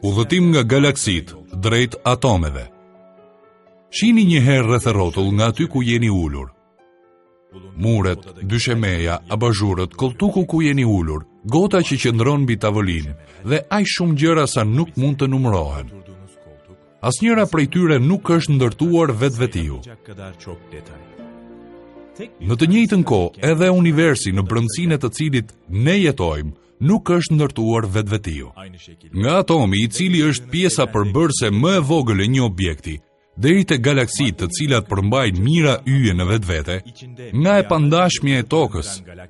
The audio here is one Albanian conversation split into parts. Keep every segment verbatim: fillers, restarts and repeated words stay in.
Udhëtim nga galaksitë drejt atomeve. Shihni një herë rreth e rrotull nga aty ku jeni ulur. Muret, dyshemeja, abazhurët, kolltuku ku jeni ulur, gota që qëndron mbi tavolinë dhe aq shumë gjëra sa nuk mund të numërohen. Asnjëra prej tyre nuk është ndërtuar vetvetiu. Në të njëjtën kohë, edhe universi në brendësinë e të cilit ne jetojmë nuk është ndërtuar vetvetiu. Nga atomi, i cili është pjesa përbërëse më e vogël e një objekti, deri te galaksitë të cilat përmbajnë mijëra yje në vetvete, nga e pandashmja e tokës,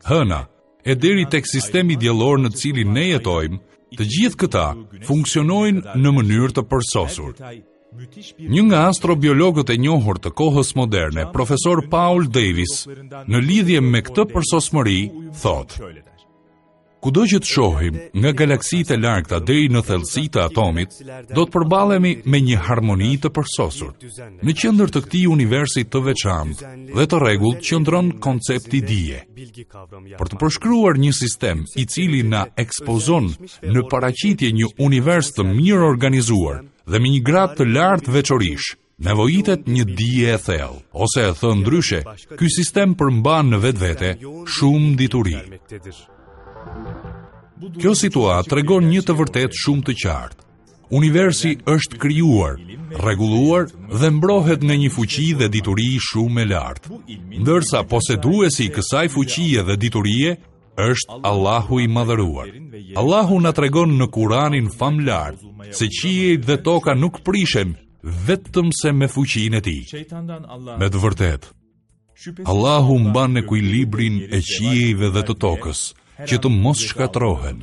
hëna, e deri tek sistemi diellor në të cilin ne jetojmë, të gjithë këta funksionojnë në mënyrë të përsosur. Një nga astrobiologët e njohur të kohës moderne, profesor Paul Davies, në lidhje me këtë përsosmëri, thotë: Kudo që të shohim, nga galaksitë e largëta deri në thellësi të atomit, do të përballemi me një harmoni të përsosur. Në qendër të këtij universi të veçantë dhe të rregullt qëndron koncepti dije. Për të përshkruar një sistem i cili na ekspozon në paraqitje një univers të mirë organizuar dhe me një gradë të lartë veçorish, nevojitet një dije e thellë, ose e thënë ndryshe, ky sistem përmban në vetvete shumë dituri. Kjo situatë tregon një të vërtetë shumë të qartë. Universi është krijuar, rregulluar dhe mbrohet nga një fuqi dhe dituri shumë e lartë. Ndërsa poseduesi i kësaj fuqie dhe diturie është Allahu i madhëruar. Allahu na tregon në Kuranin famëlartë se qiejt dhe toka nuk prishen vetëm se me fuqinë e tij. Me të vërtetë, Allahu mban ekuilibrin e qiejve dhe të tokës, që të mos shkatërrohen.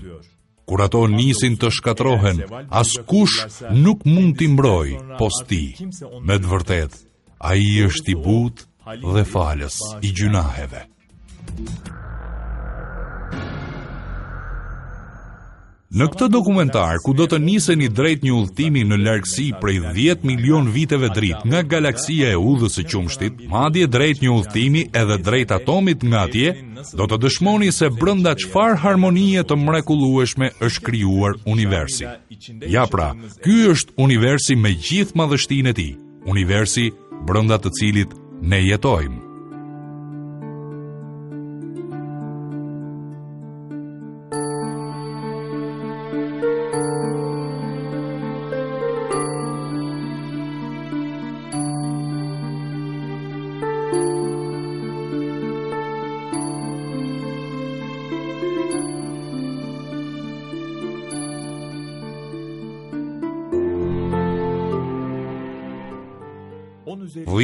Kur ato nisin të shkatërrohen, askush nuk mund t'i mbrojë pos tij. Me të vërtetë, ai është i butë dhe falës i gjynaheve. Në këtë dokumentar, ku do të niseni drejt një udhëtimi në largësi prej dhjetë milion viteve dritë nga galaksia e udhës së qumështit, madje drejt një udhëtimi edhe drejt atomit nga atje, do të dëshmoni se brenda çfarë harmonie të mrekullueshme është krijuar universi. Ja pra, ky është universi me gjithë madhështinë e tij, universi brenda të cilit ne jetojmë.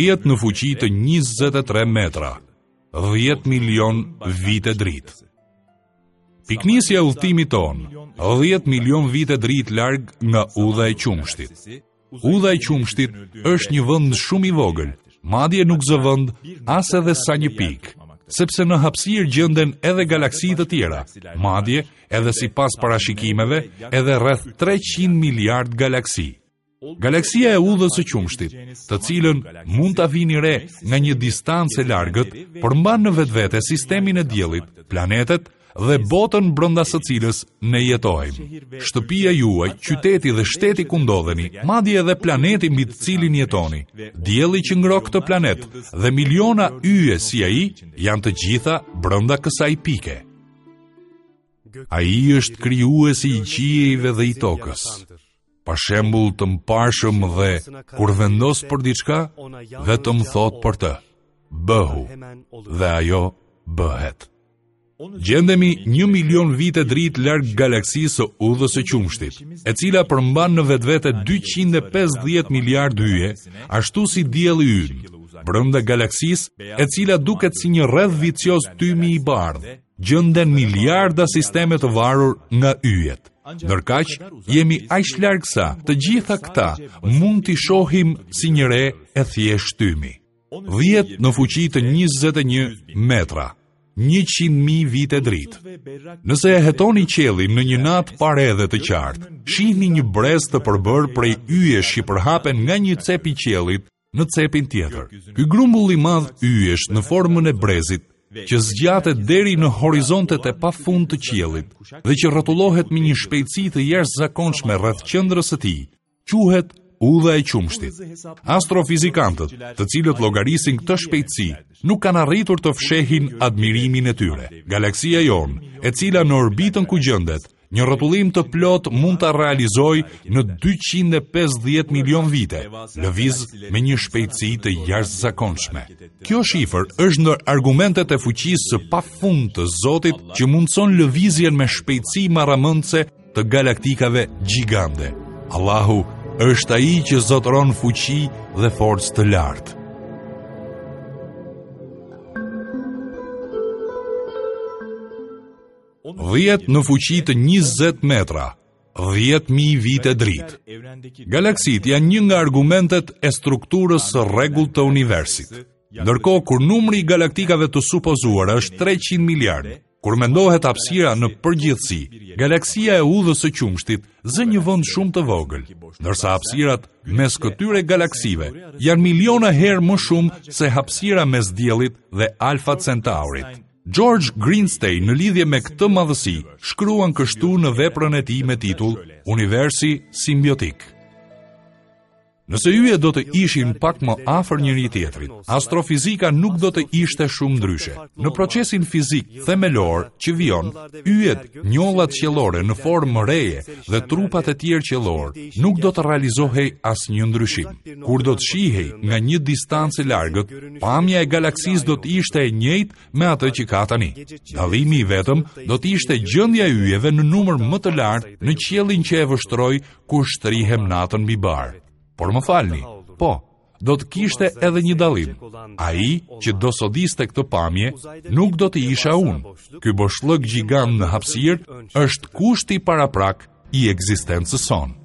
Dhjetë në fuqi të njëzet e tre metra, dhjetë milion vite dritë. Pikënisja e udhëtimit tonë, dhjetë milion vite dritë larg nga udha e qumështit. Udha e qumështit është një vend shumë i vogël, madje nuk zë vend as edhe sa një pikë, sepse në hapësirë gjenden edhe galaksi të tjera, madje edhe sipas parashikimeve edhe rreth treqind miliard galaksi. Galaksia e udhës së qumështit, të cilën mund ta vini re nga një distancë e largët, përmban në vetvete sistemin e diellit, planetet dhe botën brenda së cilës ne jetojmë. Shtëpia juaj, qyteti dhe shteti ku ndodheni, madje edhe planeti mbi të cilin jetoni, dielli që ngroh këtë planet dhe miliona yje si ai, janë të gjitha brenda kësaj pike. Ai është krijuesi i qiejve dhe i tokës. Pa shembull të mparshëm dhe kur vendos për diçka, vetëm thotë për të, bëhu, dhe ajo bëhet. Gjendemi një milion vite dritë larg galaksisë së udhës së qumështit, e cila përmban në vetvete dyqind e pesëdhjetë miliard yje, ashtu si dielli ynë, brenda galaksisë, e cila duket si një rreth vicioz tymi i bardhë, gjenden miliarda sisteme të varur nga yjet. Ndërkaq, jemi aq larg sa të gjitha këta mund t'i shohim si një re e thjeshtë tymi. Dhjetë në fuqi të njëzet e një metra, njëqind mijë vite dritë. Nëse e hetoni qiellin në një natë pa re dhe të qartë, shihni një brez të përbërë prej yjesh që përhapen nga një cep i qiellit në cepin tjetër. Ky grumbull i madh yjesh në formën e brezit që zgjatet deri në horizontet e pafund të qiellit dhe që rrotullohet me një shpejtësi të jashtëzakonshme rreth qendrës së tij, quhet udha e qumështit. Astrofizikantët, të cilët llogarisin këtë shpejtësi, nuk kanë arritur të fshehin admirimin e tyre. Galaksia jonë, e cila në orbitën ku gjendet, një rrotullim të plot mund ta realizojë në dyqind e pesëdhjetë milion vite, lëviz me një shpejtësi të jashtëzakonshme. Kjo shifër është ndër argumentet e fuqisë së pafund të Zotit që mundson lëvizjen me shpejtësi marramendëse të galaktikave gjigande. Allahu është ai që zotëron fuqi dhe forcë të lartë. Dhjetë në fuqi të njëzet metra, dhjetë mijë vite dritë. Galaksitë janë një nga argumentet e strukturës së rregullt të universit. Ndërkohë kur numri i galaktikave të supozuara është treqind miliard, kur mendohet hapësira në përgjithësi, galaksia e udhës së qumështit zë një vend shumë të vogël, ndërsa hapësirat mes këtyre galaksive janë miliona herë më shumë se hapësira mes Diellit dhe Alpha Centaurit. George Greenstein në lidhje me këtë madhësi shkruan kështu në veprën e tij me titull Universi Simbiotik. Nëse yjet do të ishin pak më afër njëri tjetrit, astrofizika nuk do të ishte shumë ndryshe. Në procesin fizik themelor që vijon, yjet, njollat qiellore në formë reje dhe trupat e tjerë qiellor nuk do të realizohej asnjë ndryshim. Kur do të shihej nga një distancë e largët, pamja e galaksisë do të ishte e njëjtë me atë që ka tani. Dallimi i vetëm do të ishte gjendja e yjeve në numër më të lartë në qiellin që e vështroj kur shtrihem natën mbi bar. Por më falni, po, do të kishte edhe një dallim. Ai që do sodiste këtë pamje nuk do të isha unë. Ky boshllëk gjigant në hapësirë është kushti paraprak i ekzistencës sonë.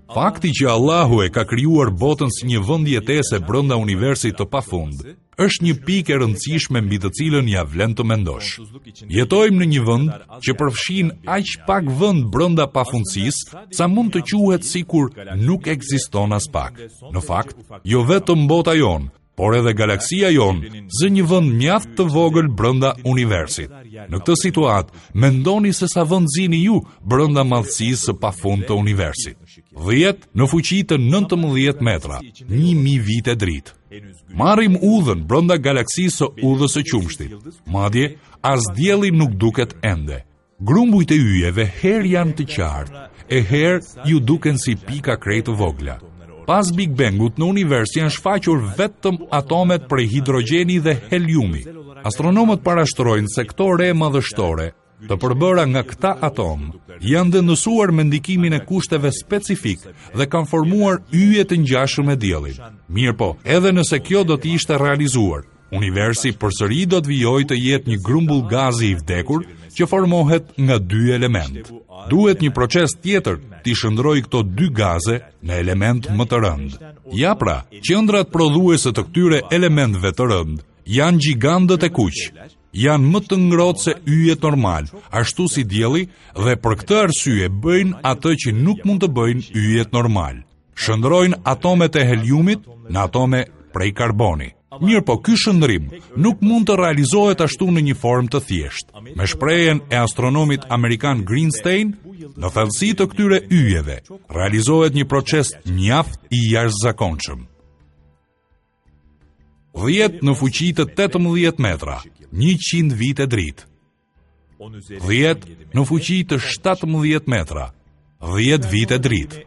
Fakti që Allahu e ka krijuar botën si një vend jetese brenda universit të pafund, është një pikë e rëndësishme mbi të cilën ja vlen të mendosh. Jetojmë në një vend që përfshin aq pak vend brenda pafundësisë, sa mund të quhet sikur nuk ekziston as pak. Në fakt, jo vetëm bota jonë, por edhe galaksia jonë zë një vend mjaft të vogël brenda universit. Në këtë situatë, mendoni se sa vend zini ju brenda madhësisë së pafund të universit. Dhjetë në fuqi të nëntëmbëdhjetë metra, një mijë vite dritë. Marrim udhën brenda galaksisë së udhës së qumështit. Madje, as dielli nuk duket ende. Grumbujt e yjeve herë janë të qartë, e herë ju duken si pika krejt të vogla. Pas Big Bangut në univers janë shfaqur vetëm atomet prej hidrogjeni dhe heliumi. Astronomët parashtrojnë se këto re madhështore, të përbëra nga këta atom, janë dendësuar me ndikimin e kushteve specifik dhe kanë formuar yje të ngjashëm me diellin. Mirëpo, edhe nëse kjo do të ishte realizuar, universi përsëri do të vijojë të jetë një grumbull gazi i vdekur që formohet nga dy elementë. Duhet një proces tjetër t'i shndrojë këto dy gaze në element më të rëndë. Ja pra, qendrat prodhuese të këtyre elementëve të rëndë janë gjigandët e kuq. Janë më të ngrohtë se yjet normal, ashtu si dielli, dhe për këtë arsye bëjnë atë që nuk mund të bëjnë yjet normal. Shndrojnë atomet e heliumit në atome prej karboni. Mirë po, ky shndrim nuk mund të realizohet ashtu në një formë të thjeshtë. Me shprehjen e astronomit amerikan Greenstein, në thellësi të këtyre yjeve realizohet një proces mjaft i jashtëzakonshëm. Dhjetë në fuqi të tetëmbëdhjetë metra, njëqind vite dritë. Dhjetë në fuqi të shtatëmbëdhjetë metra, dhjetë vite dritë.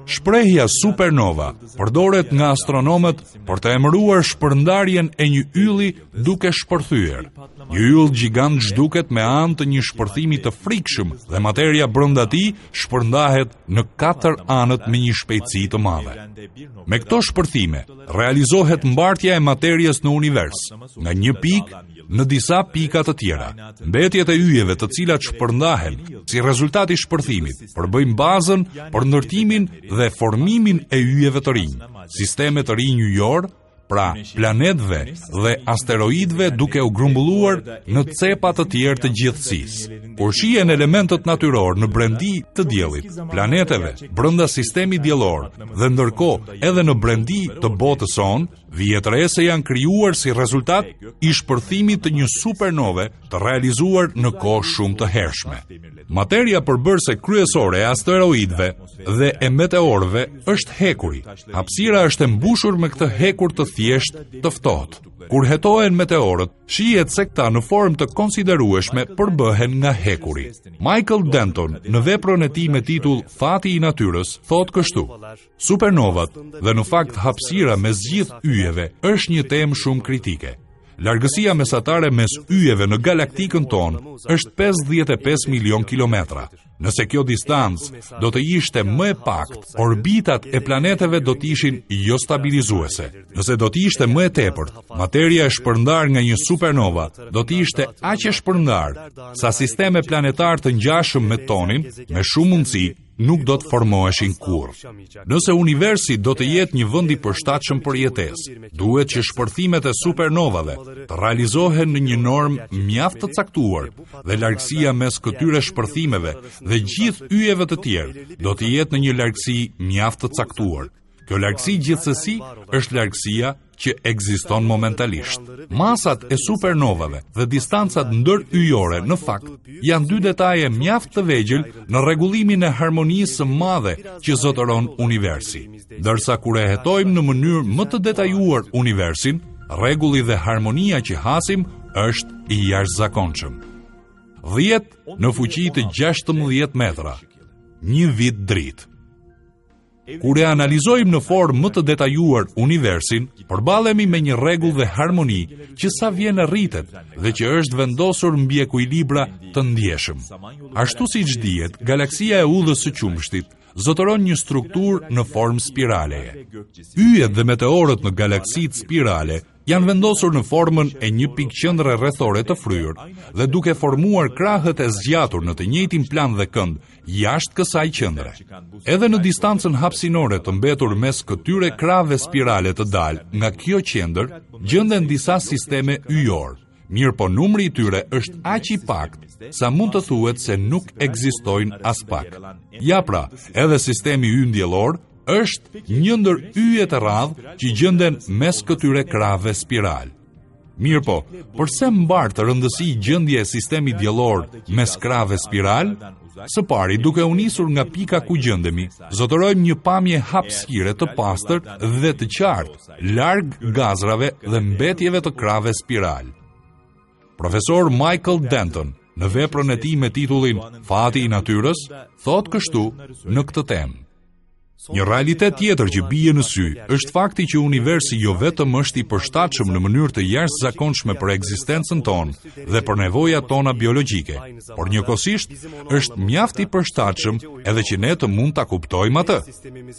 Shprehja supernova përdoret nga astronomët për të emëruar shpërndarjen e një ylli duke shpërthyer. Një yll gjigant zhduket me anë të një shpërthimi të frikshëm dhe materia brenda tij shpërndahet në katër anët me një shpejtësi të madhe. Me këto shpërthime realizohet mbartja e materies në univers, nga një pikë në disa pika të tjera. Mbetjet e yjeve të cilat shpërndahen si rezultat i shpërthimit përbëjnë bazën për ndërtimin dhe formimin e yjeve të rinj, sisteme të rinj yjor, pra planetëve dhe asteroidëve duke u grumbulluar në cepa të tjerë të gjithësisë. Kur shihen elementët natyrorë në brendi të diellit, planeteve, brenda sistemit diellor dhe ndërkohë edhe në brendi të botës sonë, vihet re se janë krijuar si rezultat i shpërthimit të një supernove të realizuar në kohë shumë të hershme. Materia përbërëse kryesore e asteroidëve dhe e meteorëve është hekuri. Hapësira është e mbushur me këtë hekur të thjeshtë të ftohtë. Kur hetohen meteorët, shihet se këta në formë të konsiderueshme përbëhen nga hekuri. Michael Denton, në veprën e tij me titull Fati i natyrës, thotë kështu: Supernovat dhe në fakt hapësira mes gjithë yjeve është një temë shumë kritike. Largësia mesatare mes yjeve në galaktikën tonë është pesëdhjetë e pesë milion kilometra. Nëse kjo distancë do të ishte më e paktë, orbitat e planeteve do të ishin jo stabilizuese. Nëse do të ishte më e tepërt, materia e shpërndarë nga një supernova do të ishte aq e shpërndarë sa sisteme planetar të ngjashëm me tonin, me shumë mundësi, nuk do të formoheshin kurrë. Nëse universi do të jetë një vend i përshtatshëm për jetesë, duhet që shpërthimet e supernovave të realizohen në një normë mjaft të caktuar dhe largësia mes këtyre shpërthimeve dhe gjithë yjeve të tjerë do të jetë në një largësi mjaft të caktuar. Kjo largësi gjithsesi është largësia që ekziston momentalisht. Masat e supernovave dhe distancat ndëryjore në fakt janë dy detaje mjaft të vegjël në rregullimin e harmonisë së madhe që zotëron universi. Ndërsa kur e hetojmë në mënyrë më të detajuar universin, rregulli dhe harmonia që hasim është i jashtëzakonshëm. dhjetë në fuqi të gjashtëmbëdhjetë metra, një vit dritë. Kur e analizojmë në formë më të detajuar universin, përballemi me një rregull dhe harmoni që sa vjen e rritet dhe që është vendosur mbi ekuilibra të ndjeshëm. Ashtu siç dihet, galaksia e udhës së qumështit zotëron një strukturë në formë spiraleje. Yjet dhe meteorët në galaksitë spirale janë vendosur në formën e një pikë qendre rrethore të fryrë dhe duke formuar krahët e zgjatur në të njëjtin plan dhe kënd jashtë kësaj qendre. Edhe në distancën hapësinore të mbetur mes këtyre krahëve spirale të dalë nga kjo qendër, gjenden disa sisteme yjor, mirë po numri i tyre është aq i paktë sa mund të thuhet se nuk ekzistojnë as pak. Ja pra, edhe sistemi ynë diellor është një ndër yjet e rrallë që gjenden mes këtyre krahëve spiral. Mirë po, përse mbart rëndësi gjendja e sistemit diellor mes krahëve spiral? Së pari, duke u nisur nga pika ku gjendemi, zotërojmë një pamje hapësire të pastër dhe të qartë, larg gazrave dhe mbetjeve të krahëve spiral. Profesor Michael Denton, në veprën e tij me titullin Fati i natyrës, thotë kështu në këtë temë. Një realitet tjetër që bie në sy është fakti që universi jo vetëm është i përshtatshëm në mënyrë të jashtëzakonshme për ekzistencën tonë dhe për nevojat tona biologjike, por njëkohësisht është mjaft i përshtatshëm edhe që ne të mund ta kuptojmë atë.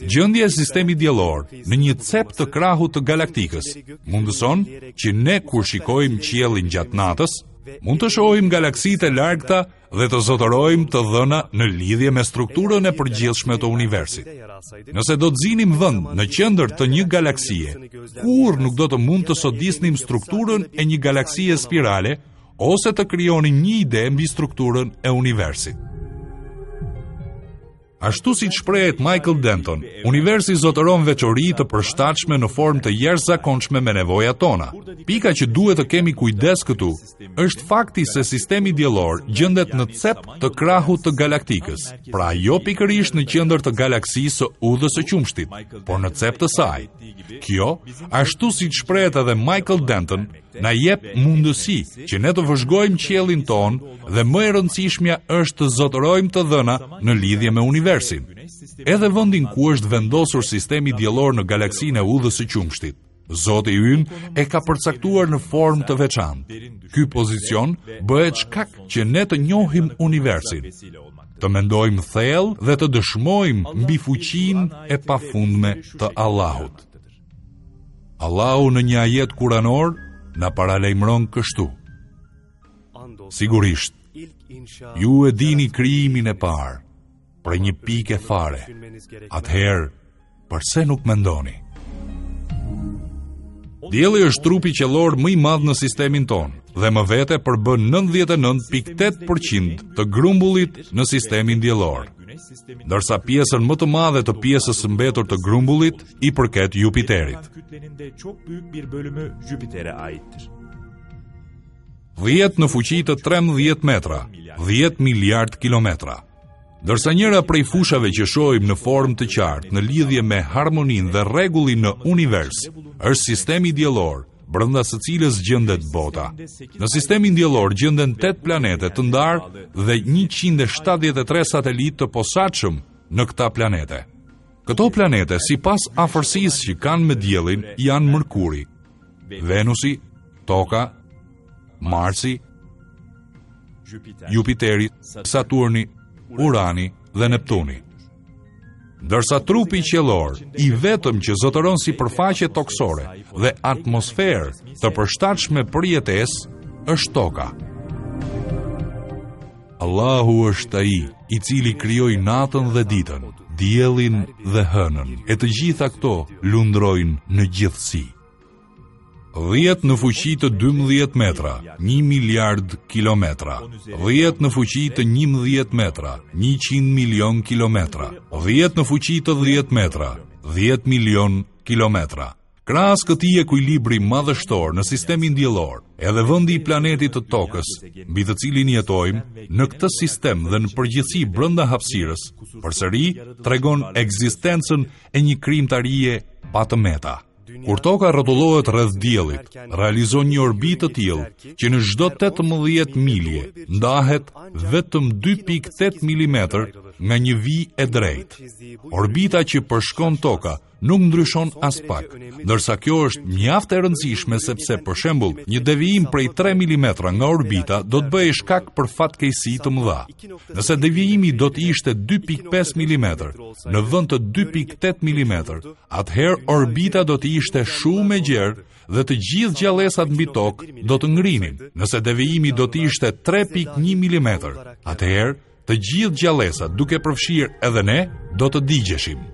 Gjendja e sistemit diellor në një cep të krahut të galaktikës mundëson që ne kur shikojmë qiellin gjatë natës, mund të shohim galaksitë e largëta dhe të zotërojmë të dhëna në lidhje me strukturën e përgjithshme të universit. Nëse do të zinim vend në qendër të një galaksie, kurrë nuk do të mund të sodisnim strukturën e një galaksie spirale ose të krijonim një ide mbi strukturën e universit. Ashtu si shprehet Michael Denton, universi zotëron veçori të përshtatshme në formë të jashtëzakonshme me nevojat tona. Pika që duhet të kemi kujdes këtu është fakti se sistemi diellor gjendet në cep të krahut të galaktikës, pra jo pikërisht në qendër të galaksisë së udhës së qumështit, por në cep të saj. Kjo, ashtu si shprehet edhe Michael Denton, na jep mundësi që ne të vëzhgojmë qiellin tonë dhe më e rëndësishmja është të zotërojmë të dhëna në lidhje me universin. Edhe vendin ku është vendosur sistemi diellor në galaksinë e udhës së qumështit, Zoti ynë e ka përcaktuar në formë të veçantë. Ky pozicion bëhet shkak që ne të njohim universin, të mendojmë thellë dhe të dëshmojmë mbi fuqinë e pafundme të Allahut. Allahu në një ajet kuranor na paralajmëron kështu: Sigurisht, ju e dini krijimin e parë, prej një pike fare. Atëherë, përse nuk mendoni? Dielli është trupi qiellor më i madh në sistemin tonë dhe më vete përbën nëntëdhjetë e nëntë pikë tetë përqind të grumbullit në sistemin diellor, ndërsa pjesën më të madhe të pjesës së mbetur të grumbullit i përket Jupiterit. Dhjetë në fuqi të trembëdhjetë metra, dhjetë miliard kilometra. Ndërsa njëra prej fushave që shohim në formë të qartë në lidhje me harmoninë dhe rregullin në univers është sistemi diellor, brenda së cilës gjendet bota. Në sistemin diellor gjenden tetë planete të ndarë dhe njëqind e shtatëdhjetë e tre satelitë të posaçëm në këta planete. Këto planete, sipas afërsisë që kanë me diellin, janë Mërkuri, Venusi, Toka, Marsi, Jupiteri, Saturni, Urani dhe Neptuni. Ndërsa trupi qiellor, i vetëm që zotëron sipërfaqe tokësore dhe atmosferë të përshtatshme për jetesë, është Toka. Allahu është ai i cili krijoi natën dhe ditën, diellin dhe hënën, e të gjitha këto lundrojnë në gjithësi. Dhjetë në fuqi të dymbëdhjetë metra, një miliard kilometra. Dhjetë në fuqi të njëmbëdhjetë metra, njëqind milion kilometra. Dhjetë në fuqi të dhjetë metra, dhjetë milion kilometra. Krahas këtij ekuilibri madhështor në sistemin diellor, edhe vendi i planetit të Tokës, mbi të cilin jetojmë, në këtë sistem dhe në përgjithësi brenda hapësirës, përsëri tregon ekzistencën e një krijimtarie pa të meta. Kur Toka rrotullohet rreth diellit, realizon një orbitë të tillë që në çdo tetëmbëdhjetë milje ndahet vetëm dy pikë tetë milimetër nga një vijë e drejtë. Orbita që përshkon Toka nuk ndryshon aspak, ndërsa kjo është mjaft e rëndësishme sepse, për shembull, një devijim prej tre milimetra nga orbita do të bëhej shkak për fatkeqësi të mëdha. Nëse devijimi do të ishte dy pikë pesë milimetër në vend të dy pikë tetë milimetër, atëherë orbita do të ishte shumë e gjerë dhe të gjithë gjallesat mbi tokë do të ngrinin. Nëse devijimi do të ishte tre pikë një milimetër, atëherë të gjithë gjallesat, duke përfshirë edhe ne, do të digjeshim.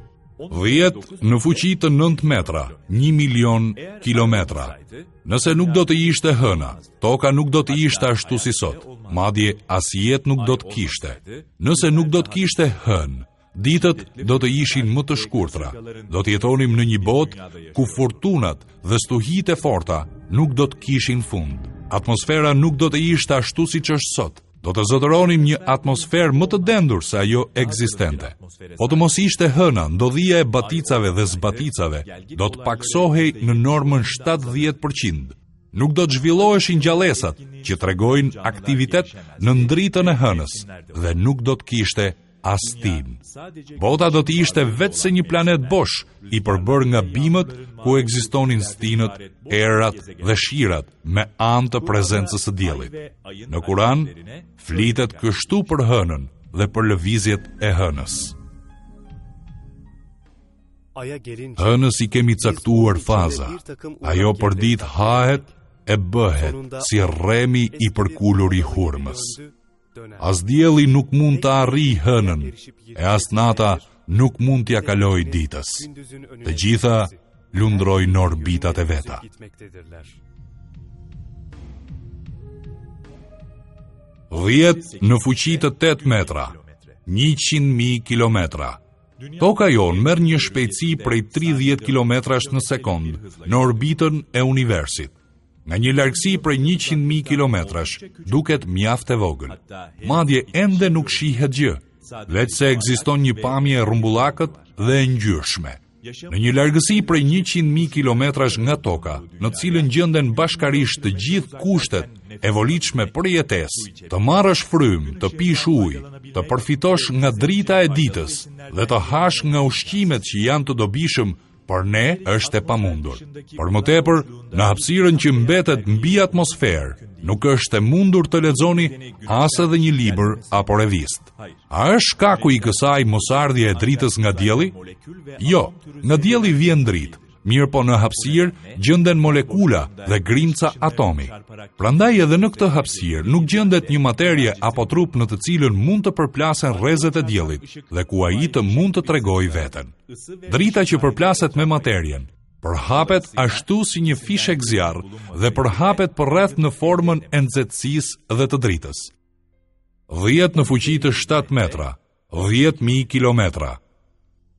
Dhjetë në fuqi të nëntë metra, një milion kilometra. Nëse nuk do të ishte hëna, toka nuk do të ishte ashtu si sot, madje as jetë nuk do të kishte. Nëse nuk do të kishte hënë, ditët do të ishin më të shkurtra. Do të jetonim në një botë ku furtunat dhe stuhitë e forta nuk do të kishin fund. Atmosfera nuk do të ishte ashtu siç është sot. Do të zotëronim një atmosferë më të dendur se ajo ekzistente. Po të mos ishte hëna, ndodhia e baticave dhe zbaticave do të paksohej në normën shtatëdhjetë përqind. Nuk do të zhvilloheshin gjallesat që tregojnë aktivitet në ndritën e hënës dhe nuk do të kishte as stinë. Bota do të ishte vetë se një planet bosh, i përbërë nga bimët ku ekzistonin stinët, erat dhe shirat me anë të prezencës së diellit. Në Kur'an flitet kështu për hënën dhe për lëvizjet e hënës. Hënës i kemi caktuar faza. Ajo për ditë hahet e bëhet si rremi i përkulur i hurmës. As dielli nuk mund të arrijë hënën, e as nata nuk mund t'ia kalojë ditës. Të gjitha lundrojnë në orbitat e veta. Dhjetë në fuqi të tetë metra, njëqind mijë kilometra. Toka jonë merr një shpejtësi prej tridhjetë kilometrash në sekond në orbitën e universit. Nga një largësi prej njëqind mijë kilometrash, duket mjaft e vogël. Madje ende nuk shihet gjë, veç se ekziston një pamje e rrumbullakët dhe e ngjyrshme. Në një largësi prej njëqind mijë kilometrash nga Toka, në të cilën gjenden bashkarisht të gjithë kushtet e volitshme për jetesë, të marrësh frymë, të pish ujë, të përfitosh nga drita e ditës dhe të hash nga ushqimet që janë të dobishëm për ne është e pamundur. Për më tepër, në hapësirën që mbetet mbi atmosferë, nuk është e mundur të lexoni as edhe një libër apo revistë. A është shkaku i kësaj mosardhje e dritës nga dielli? Jo, nga dielli vjen dritë, mirë po në hapësirë gjenden molekula dhe grimca atomi. Prandaj edhe në këtë hapësirë nuk gjendet një materie apo trup në të cilën mund të përplasen rrezet e diellit dhe ku ai të mund të tregojë veten. Drita që përplaset me materien Përhapet ashtu si një fishekzjarr dhe përhapet përreth në formën e nxehtësisë dhe të dritës. Dhjetë në fuqi të shtatë metra, dhjetë mijë kilometra.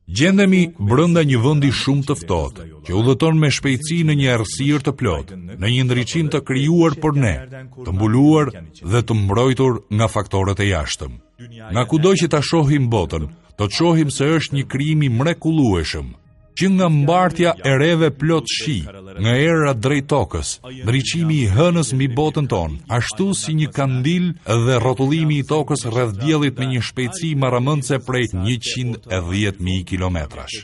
Gjendemi brenda një vendi shumë të ftohtë, që udhëton me shpejtësi në një errësirë të plotë, në një ndriçim të krijuar për ne, të mbuluar dhe të mbrojtur nga faktorët e jashtëm. Nga kudo që ta shohim botën, do të shohim se është një krijim i mrekullueshëm, që nga mbartja e reve plot shi, nga era drejt tokës, ndriçimi i hënës mbi botën tonë, ashtu si një kandil dhe rrotullimi i tokës rreth diellit me një shpejtësi marramendëse prej njëqind e dhjetë mijë kilometrash.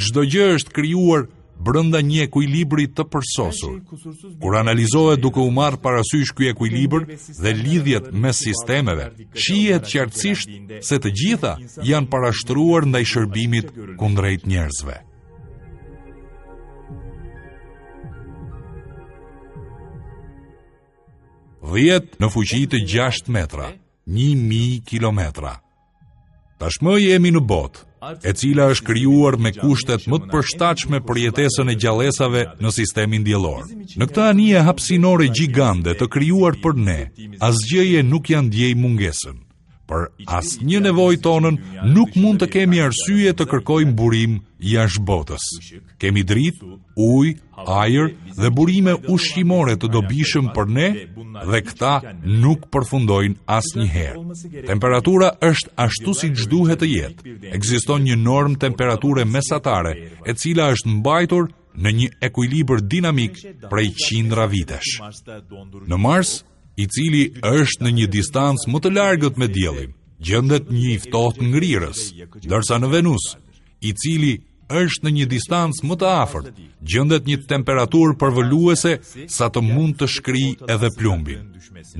Çdo gjë është krijuar brenda një ekuilibri të përsosur. Kur analizohet duke u marrë parasysh ky ekuilibër dhe lidhjet mes sistemeve, shihet qartësisht se të gjitha janë parashtruar ndaj shërbimit kundrejt njerëzve. Dhjetë në fuqi të gjashtë metra, një mijë kilometra. Tashmë jemi në botë, e cila është krijuar me kushtet më të përshtatshme për jetesën e gjallesave në sistemin diellor. Në këtë anije hapësinore gjigande të krijuar për ne, asgjëje nuk ja ndjej mungesën. Për asnjë nevojë tonën nuk mund të kemi arsye të kërkojmë burim jashtë botës. Kemi dritë, ujë, ajër dhe burime ushqimore të dobishëm për ne dhe këta nuk përfundojnë asnjëherë. Temperatura është ashtu siç duhet të jetë. Ekziston një normë temperature mesatare e cila është mbajtur në një ekuilibër dinamik prej qindra vitesh. Në Mars, i cili është në një distancë më të largët me diellin, gjendet një i ftohtë ngrirës, ndërsa në Venus, i cili është në një distancë më të afërt, gjendet një temperaturë përvëluese sa të mund të shkrijë edhe plumbin.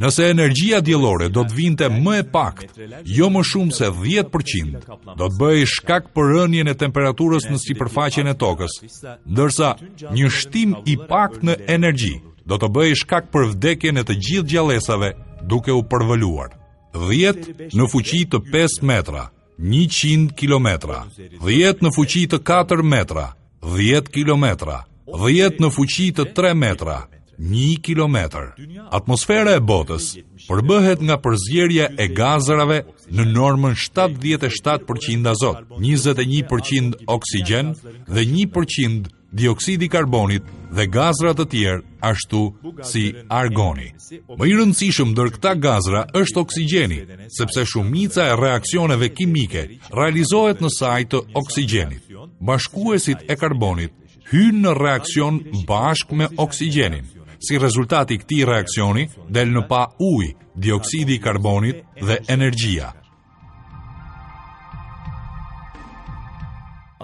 Nëse energjia diellore do të vinte më e paktë, jo më shumë se dhjetë përqind, do të bëhej shkak për rënien e temperaturës në sipërfaqen e tokës, ndërsa një shtim i paktë në energji do të bëhej shkak për vdekjen e të gjithë gjallesave duke u përvëluar. Dhjetë në fuqi të pesë metra, njëqind kilometra, dhjetë në fuqi të katër metra, dhjetë kilometra, dhjetë në fuqi të tre metra, një kilometër. Atmosfera e botës përbëhet nga përzierja e gazrave në normën shtatëdhjetë e shtatë përqind azot, njëzet e një përqind oksigjen dhe një përqind dioksidi karbonit dhe gazra të tjerë ashtu si argoni. Më i rëndësishëm ndër këta gazra është oksigjeni, sepse shumica e reaksioneve kimike realizohet në saj të oksigjenit. Bashkuesit e karbonit hyjnë në reaksion bashkë me oksigjenin. Si rezultat i këtij reaksioni del në pa ujë, dioksidi i karbonit dhe energjia.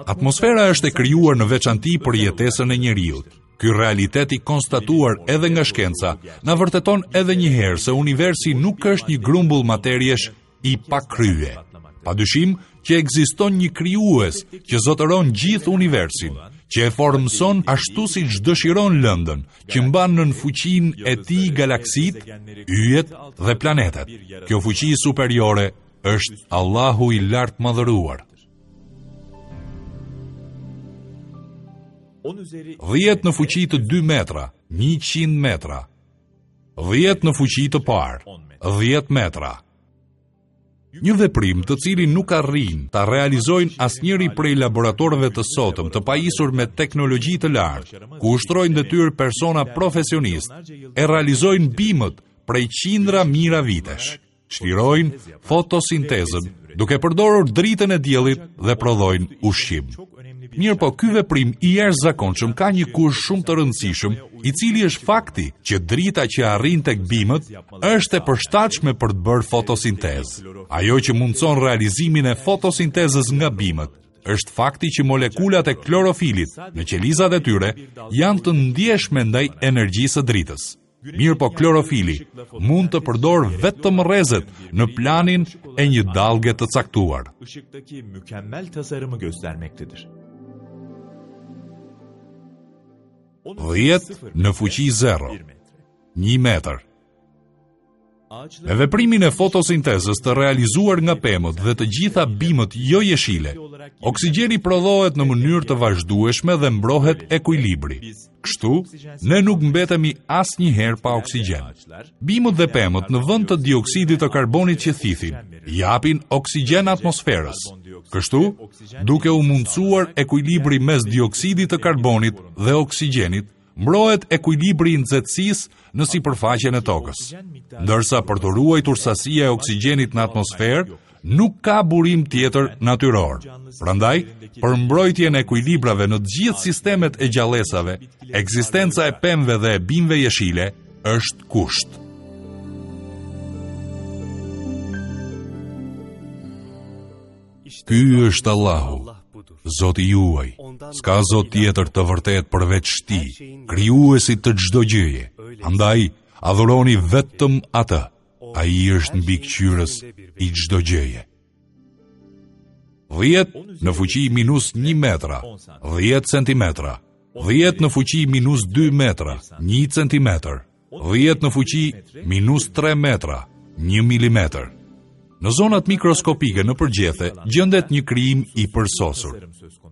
Atmosfera është e krijuar në veçanti për jetesën e njeriut. Ky realitet i konstatuar edhe nga shkenca na vërteton edhe një herë se universi nuk është një grumbull materiesh i pakrye. Padyshim që ekziston një krijues që zotëron gjithë universin, që e formëson ashtu siç dëshiron lëndën, që mban nën fuqinë e tij galaksitë, yjet dhe planetet. Kjo fuqi superiore është Allahu i lartmadhëruar. Dhjetë në fuqi të dy metra, njëqind metra. Dhjetë në fuqi të parë, dhjetë metra. Një veprim të cilin nuk arrin ta realizojnë asnjëri prej laboratorëve të sotëm të pajisur me teknologji të lartë, ku ushtrojnë detyrë persona profesionistë, e realizojnë bimët prej qindra mijëra vitesh. Çlirojnë fotosintezën duke përdorur dritën e diellit dhe prodhojnë ushqim. Mirë po, ky veprim i jashtëzakonshëm ka një kusht shumë të rëndësishëm, i cili është fakti që drita që arrin tek bimët është e përshtatshme për të bërë fotosintezë. Ajo që mundson realizimin e fotosintezës nga bimët është fakti që molekulat e klorofilit në qelizat e tyre janë të ndjeshme ndaj energjisë së dritës. Mirë po, klorofili mund të përdorë vetëm rrezet në planin e një dallge të caktuar. Işıktaki mükemmel tasarımı göstermektedir. Dhjetë në fuqi zero, një metër. Me veprimin e fotosintezës të realizuar nga pemët dhe të gjitha bimët jo jeshile, oksigjeni prodhohet në mënyrë të vazhdueshme dhe mbrohet ekuilibri. Kështu, ne nuk mbetemi asnjëherë pa oksigjen. Bimët dhe pemët në vend të dioksidit të karbonit që thithin, japin oksigjen atmosferës. Kështu, duke u mundësuar ekuilibri mes dioksidit të karbonit dhe oksigjenit, mbrohet ekuilibri i nxehtësisë në sipërfaqen e tokës. Ndërsa për të ruajtur sasia e oksigjenit në atmosferë, nuk ka burim tjetër natyror. Prandaj, për mbrojtjen e ekuilibrave në të gjithë sistemet e gjallesave, ekzistenca e pemëve dhe e bimëve jeshile është kusht. Ky është Allahu, Zoti juaj, s'ka Zot tjetër të vërtet përveç Tij, krijuesit të çdo gjëje. Andaj, adhuroni vetëm atë. Ai është mbikëqyrës i çdo gjëje. dhjetë në fuqi minus një metra, dhjetë centimetra, dhjetë në fuqi minus dy metra, një centimetër, dhjetë në fuqi minus tre metra, një milimetër. Në zonat mikroskopike nëpër gjethe gjendet një krijim i përsosur.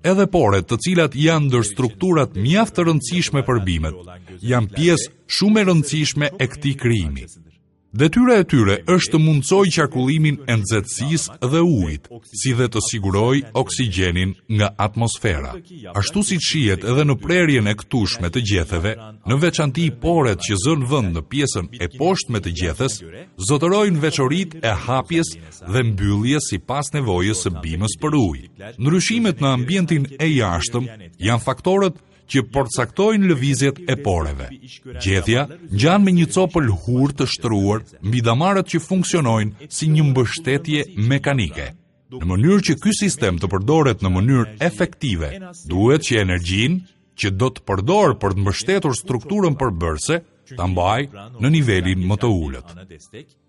Edhe poret, të cilat janë ndër strukturat mjaft të rëndësishme për bimët, janë pjesë shumë e rëndësishme e këtij krijimi. Detyra e tyre është të mundësojë qarkullimin e nxehtësisë dhe ujit, si dhe të sigurojë oksigjenin nga atmosfera. Ashtu siç shihet edhe në prerjen e këtushme të gjetheve, në veçanti poret që zënë vend në pjesën e poshtme të gjethes, zotërojnë veçoritë e hapjes dhe mbylljes sipas nevojës së bimës për ujë. Ndryshimet në ambientin e jashtëm janë faktorët që përcaktojnë lëvizjet e poreve. Gjethja ngjan me një copë lëhurë të shtruar mbi damarët që funksionojnë si një mbështetje mekanike. Në mënyrë që ky sistem të përdoret në mënyrë efektive, duhet që energjinë që do të përdor për të mbështetur strukturën përbërëse ta mbajë në nivelin më të ulët.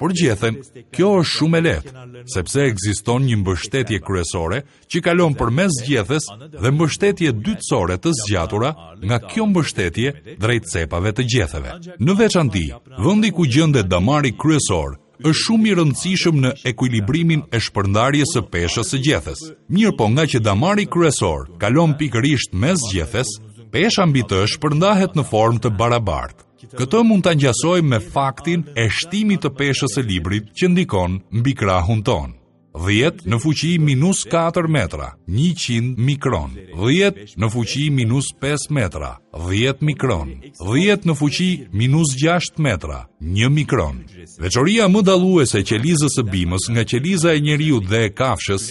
Por gjethen, kjo është shumë e lehtë, sepse ekziston një mbështetje kryesore që kalon përmes gjethes dhe mbështetje dytësore të zgjatura nga kjo mbështetje drejt cepave të gjetheve. Në veçanti, vendi ku gjendet damari kryesor është shumë i rëndësishëm në ekuilibrimin e shpërndarjes së peshës së gjethes. Mirë po nga që damari kryesor kalon pikërisht mes gjethes, pesha mbi të shpërndahet në formë të barabartë. Këtë mund ta ngjasojmë me faktin e shtimit të peshës së librit që ndikon mbi krahun tonë. dhjetë në fuqi minus katër metra, njëqind mikron. dhjetë në fuqi minus pesë metra, dhjetë mikron. dhjetë në fuqi minus gjashtë metra, një mikron. Veçoria më dalluese e qelizës së bimës nga qeliza e njeriut dhe e kafshës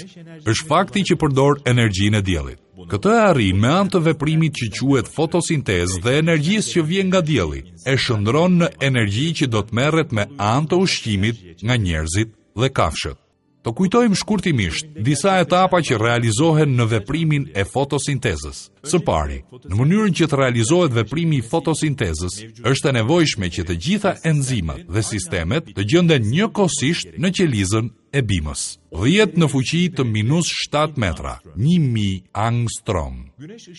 është fakti që përdor energjinë e diellit. Këtë e arrin me anë të veprimit që quhet fotosintezë dhe energjisë që vjen nga dielli, e shndron në energji që do të merret me anë të ushqimit nga njerëzit dhe kafshët. Të kujtojmë shkurtimisht disa etapa që realizohen në veprimin e fotosintezës. Së pari, në mënyrën që të realizohet veprimi i fotosintezës, është e nevojshme që të gjitha enzimat dhe sistemet të gjenden njëkohësisht në qelizën e bimës. dhjetë në fuqi të minus shtatë metra, një mijë angstrom.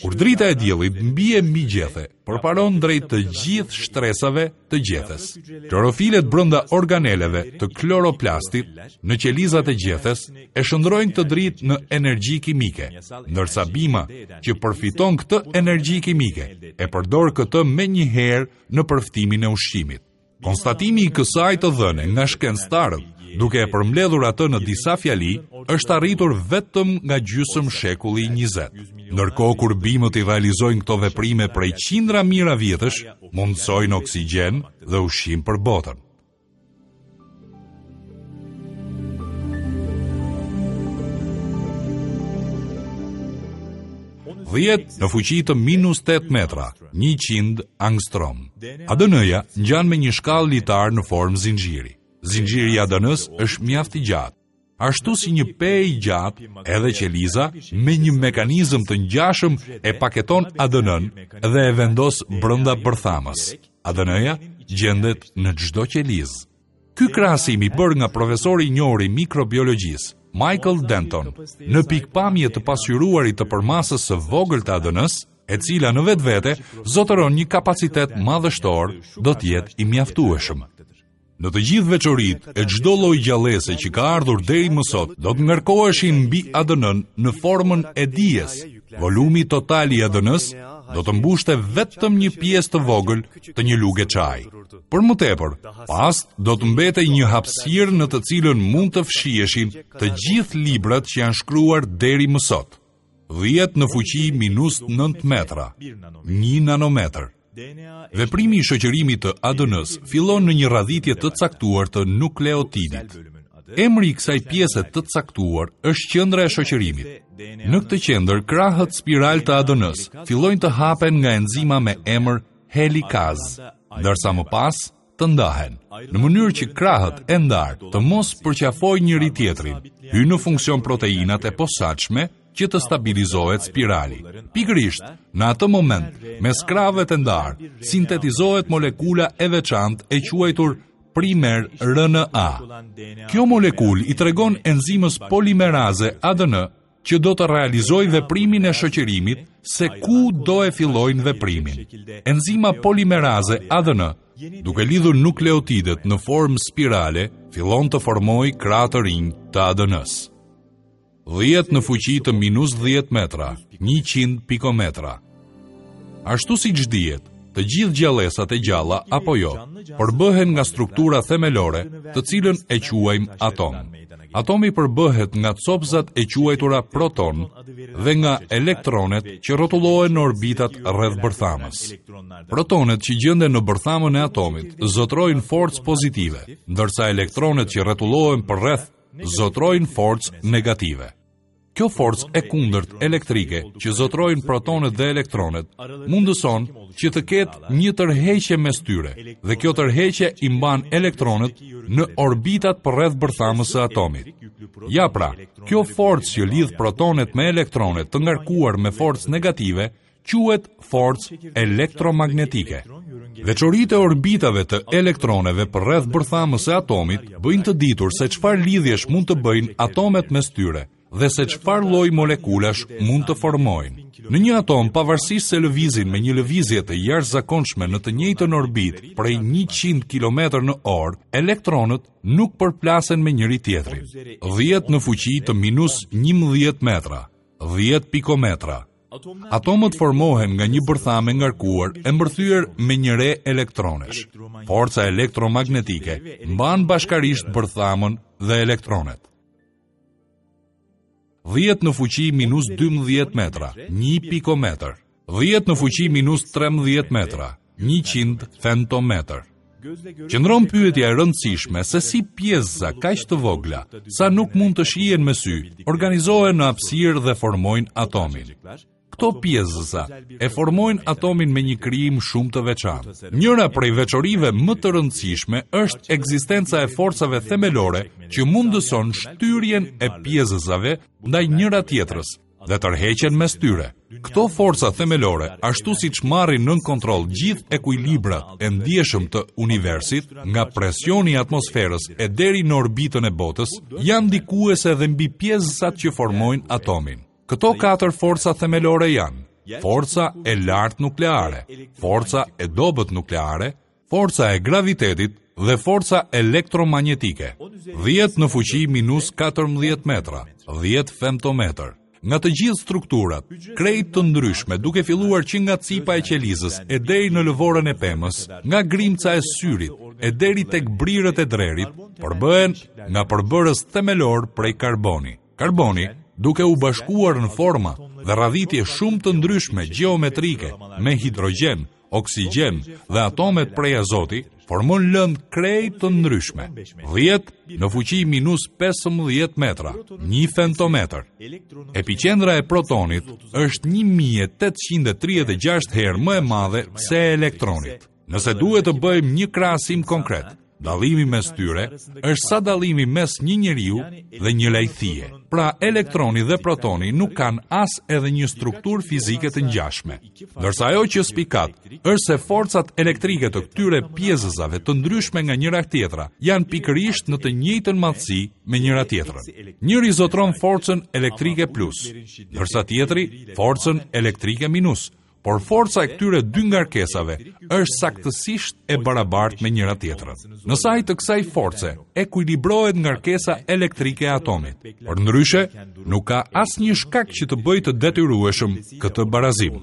Kur drita e diellit mbie mbi gjethe, përparon drejt të gjithë shtresave të gjethes. Klorofilet brenda organeleve të kloroplastit në qelizat e gjethes e shndrojnë këtë dritë në energji kimike, ndërsa bima që përfiton këtë energji kimike e përdor këtë menjëherë në përftimin e ushqimit. Konstatimi i kësaj të dhëne nga shkencëtarët, duke e përmbledhur atë në disa fjali, është arritur vetëm nga gjysmë shekulli i njëzet. Ndërkohë kur bimët i realizojnë këto veprime prej qindra mijëra vjetësh, mundësojnë oksigjen dhe ushqim për botën. dhjetë në fuqi të minus tetë metra, njëqind angstrom. A D N-ja ngjan me një shkallë litar në formë zinxhiri. Zinxhiri i A D N-s është mjaft i gjatë. Ashtu si një pe i gjatë, edhe qeliza me një mekanizëm të ngjashëm e paketon A D N-n dhe e vendos brenda bërthamës. A D N-ja gjendet në çdo qelizë. Ky krahasim i bërë nga profesori i njohur i mikrobiologjisë, Michael Denton, në pikpamje të pasqyruarit të përmasës së vogël të A D N-s, e cila në vetvete zotëron një kapacitet madhështor, do të jetë i mjaftueshëm. Në të gjithë veçoritë e çdo lloj gjallese që ka ardhur deri më sot, do të ngarkoheshin mbi A D N-n në formën e dijes. Volumi total i A D N-s do të mbushte vetëm një pjesë të vogël të një luge çaji. Për më tepër, pas do të mbetej një hapësirë në të cilën mund të fshiheshin të gjithë librat që janë shkruar deri më sot. dhjetë në fuqi minus nëntë metra, një nanometër. Veprimi i shoqërimit të A D N-s fillon në një radhitje të caktuar të nukleotidit. Emri i kësaj pjese të caktuar është qendra e shoqërimit. Në këtë qendër, krahët spiral të A D N-s fillojnë të hapen nga enzima me emër helikaz, ndërsa më pas të ndahen, në mënyrë që krahët e ndarë të mos përqafojnë njëri tjetrin, hyjnë në funksion proteinat e posaçme që të stabilizohet spirali. Pikërisht, në atë moment, mes krahëve të ndarë, sintetizohet molekula e veçantë e quajtur primer R N A. Kjo molekulë i tregon enzimës polimeraze A D N që do të realizojë veprimin e shoqërimit se ku do e fillojnë veprimin. Enzima polimeraze A D N, duke lidhur nukleotidet në formë spirale, fillon të formojë krahë të rinj të A D N-s. dhjetë në fuqi të minus dhjetë metra, njëqind pikometra. Ashtu siç dihet, të gjithë gjallesat e gjalla apo jo, përbëhen nga struktura themelore, të cilën e quajmë atom. Atomi përbëhet nga copëzat e quajtura proton dhe nga elektronet që rrotullohen në orbitat rreth bërthamës. Protonet që gjenden në bërthamën e atomit zotrojnë forcë pozitive, ndërsa elektronet që rrotullohen përreth zotrojnë forcë negative. Kjo forcë e kundërt elektrike që zotrojnë protonet dhe elektronet mundëson që të ketë një tërheqje mes tyre, dhe kjo tërheqje i mban elektronet në orbitat përreth bërthamës së atomit. Ja pra, kjo forcë që lidh protonet me elektronet të ngarkuar me forcë negative quhet forcë elektromagnetike. Veçoritë e orbitave të elektroneve përreth bërthamës së atomit bëjnë të ditur se çfarë lidhjesh mund të bëjnë atomet mes tyre dhe se çfarë lloj molekulash mund të formojnë. Në një atom, pavarësisht se lëvizin me një lëvizje të jashtëzakonshme në të njëjtën orbitë prej njëqind kilometër në orë, elektronët nuk përplasen me njëri tjetrin. dhjetë në fuqi të minus njëmbëdhjetë metra, dhjetë pikometra. Atomët formohen nga një bërthamë e ngarkuar e mbërthyer me një re elektronesh. Forca elektromagnetike mban bashkarisht bërthamën dhe elektronet. dhjetë në fuqi minus dymbëdhjetë metra, një pikometër. dhjetë në fuqi minus trembëdhjetë metra, njëqind femtometër. Qëndron pyetja e rëndësishme se si pjesëza kaq të vogla, sa nuk mund të shihen me sy, organizohen në hapësirë dhe formojnë atomin. Këto pjesëza e formojnë atomin me një krijim shumë të veçantë. Njëra prej veçorive më të rëndësishme është ekzistenca e forcave themelore që mundëson shtyrjen e pjesëzave ndaj njëra tjetrës dhe tërheqjen mes tyre. Këto forca themelore, ashtu siç marrin nën kontroll gjithë ekuilibrat e ndjeshëm të universit, nga presioni i atmosferës e deri në orbitën e botës, janë ndikuese edhe mbi pjesëzat që formojnë atomin. Këto katër forca themelore janë forca e lartë nukleare, forca e dobët nukleare, forca e gravitetit dhe forca elektromagnetike. dhjetë në fuqi minus katërmbëdhjetë metra, dhjetë femtometër. Nga të gjithë strukturat, krejt të ndryshme, duke filluar që nga cipa e qelizës e deri në lëvorën e pemës, nga grimca e syrit e deri tek brirët e drerit, përbëhen nga përbërës themelor prej karboni. Karboni, duke u bashkuar në forma dhe radhitje shumë të ndryshme gjeometrike me hidrogjen, oksigjen dhe atomet prej azoti, formon lëndë krejt të ndryshme. dhjetë në fuqi minus pesëmbëdhjetë metra, një femtometër. Epiqendra e protonit është një mijë e tetëqind e tridhjetë e gjashtë herë më e madhe se e elektronit. Nëse duhet të bëjmë një krahasim konkret, dallimi mes tyre është sa dallimi mes një njeriu dhe një lajthie. Pra, elektroni dhe protoni nuk kanë as edhe një strukturë fizike të ngjashme. Ndërsa ajo që spikat është se forcat elektrike të këtyre pjesëzave të ndryshme nga njëra tjetra janë pikërisht në të njëjtën madhësi me njëra tjetrën. Njëri zotron forcën elektrike plus, ndërsa tjetri forcën elektrike minus, Por forca e këtyre dy ngarkesave është saktësisht e barabartë me njëra tjetrën. Në sajë të kësaj force ekuilibrohet ngarkesa elektrike e atomit. Përndryshe, nuk ka asnjë shkak që të bëjë të detyrueshëm këtë barazim.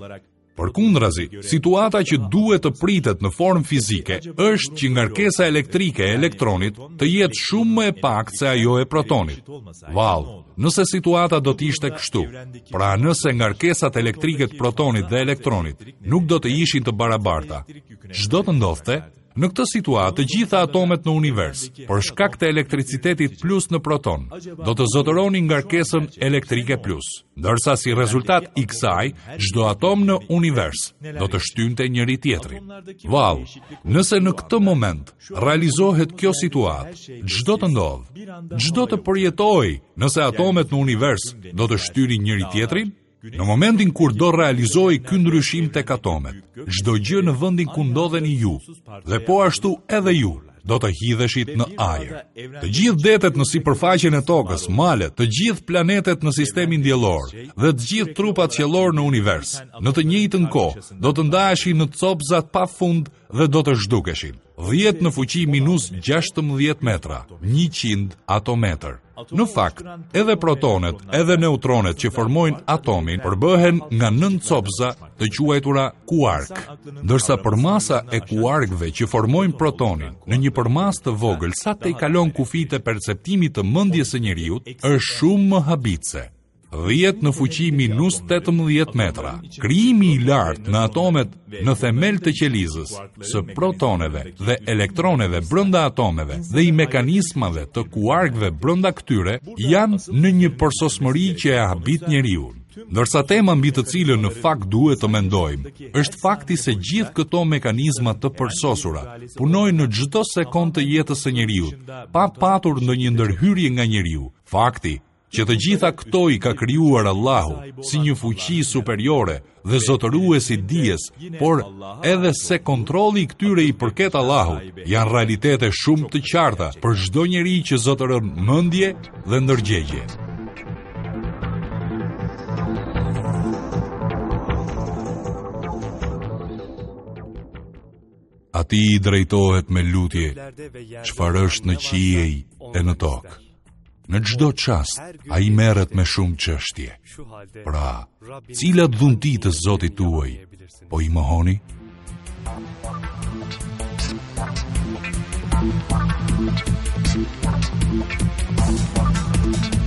Përkundrazi, situata që duhet të pritet në formë fizike është që ngarkesa elektrike e elektronit të jetë shumë më e paktë se ajo e protonit. Vallë, nëse situata do të ishte kështu, pra nëse ngarkesat elektrike të protonit dhe elektronit nuk do të ishin të barabarta, ç'do të ndodhte? Në këtë situatë, të gjitha atomet në univers, për shkak të elektricitetit plus në proton, do të zotëronin ngarkesën elektrike plus, ndërsa si rezultat i kësaj, çdo atom në univers do të shtynte njëri tjetrin. Vallë, nëse në këtë moment realizohet kjo situatë, ç'do të ndodhë? Ç'do të përjetohej nëse atomet në univers do të shtynin njëri tjetrin? Në momentin kur do realizohej ky ndryshim tek atomet, çdo gjë në vendin ku ndodheni ju, dhe po ashtu edhe ju, do të hidheshit në ajër. Të gjithë detet në sipërfaqen e tokës, malet, të gjithë planetet në sistemin diellor dhe të gjithë trupat qiellor në univers, në të njëjtën kohë do të ndaheshin në copëza pa fund dhe do të zhdukeshin. dhjetë në fuqi minus gjashtëmbëdhjetë metra, njëqind atometër. Në fakt, edhe protonet, edhe neutronet që formojnë atomin përbëhen nga nëntë copëza të quajtura kuark, ndërsa përmasa e kuarkëve që formojnë protonin në një përmasë të vogël sa tejkalon kufijtë e perceptimit të mendjes së njeriut është shumë më habitëse. dhjetë në fuqi minus tetëmbëdhjetë metra. Krijimi i lartë në atomet në themel të qelizës së protoneve dhe elektroneve brenda atomeve dhe i mekanizmave të kuarkëve brenda këtyre janë në një përsosmëri që e habit njeriun. Ndërsa tema mbi të cilën në fakt duhet të mendojmë është fakti se gjithë këto mekanizma të përsosura punojnë në çdo sekondë të jetës së njeriut, pa patur ndonjë ndërhyrje nga njeriu. Fakti që të gjitha këto i ka krijuar Allahu si një fuqi superiore dhe zotërues i dijes, por edhe se kontrolli i këtyre i përket Allahut, janë realitete shumë të qarta për çdo njeri që zotëron mendje dhe ndërgjegje. Atij i drejtohet me lutje çfarë është në qiej e në tokë. Në çdo çast, ai merret me shumë çështje. Pra, cilat dhunti të Zotit tuaj po i mohoni? Thank you.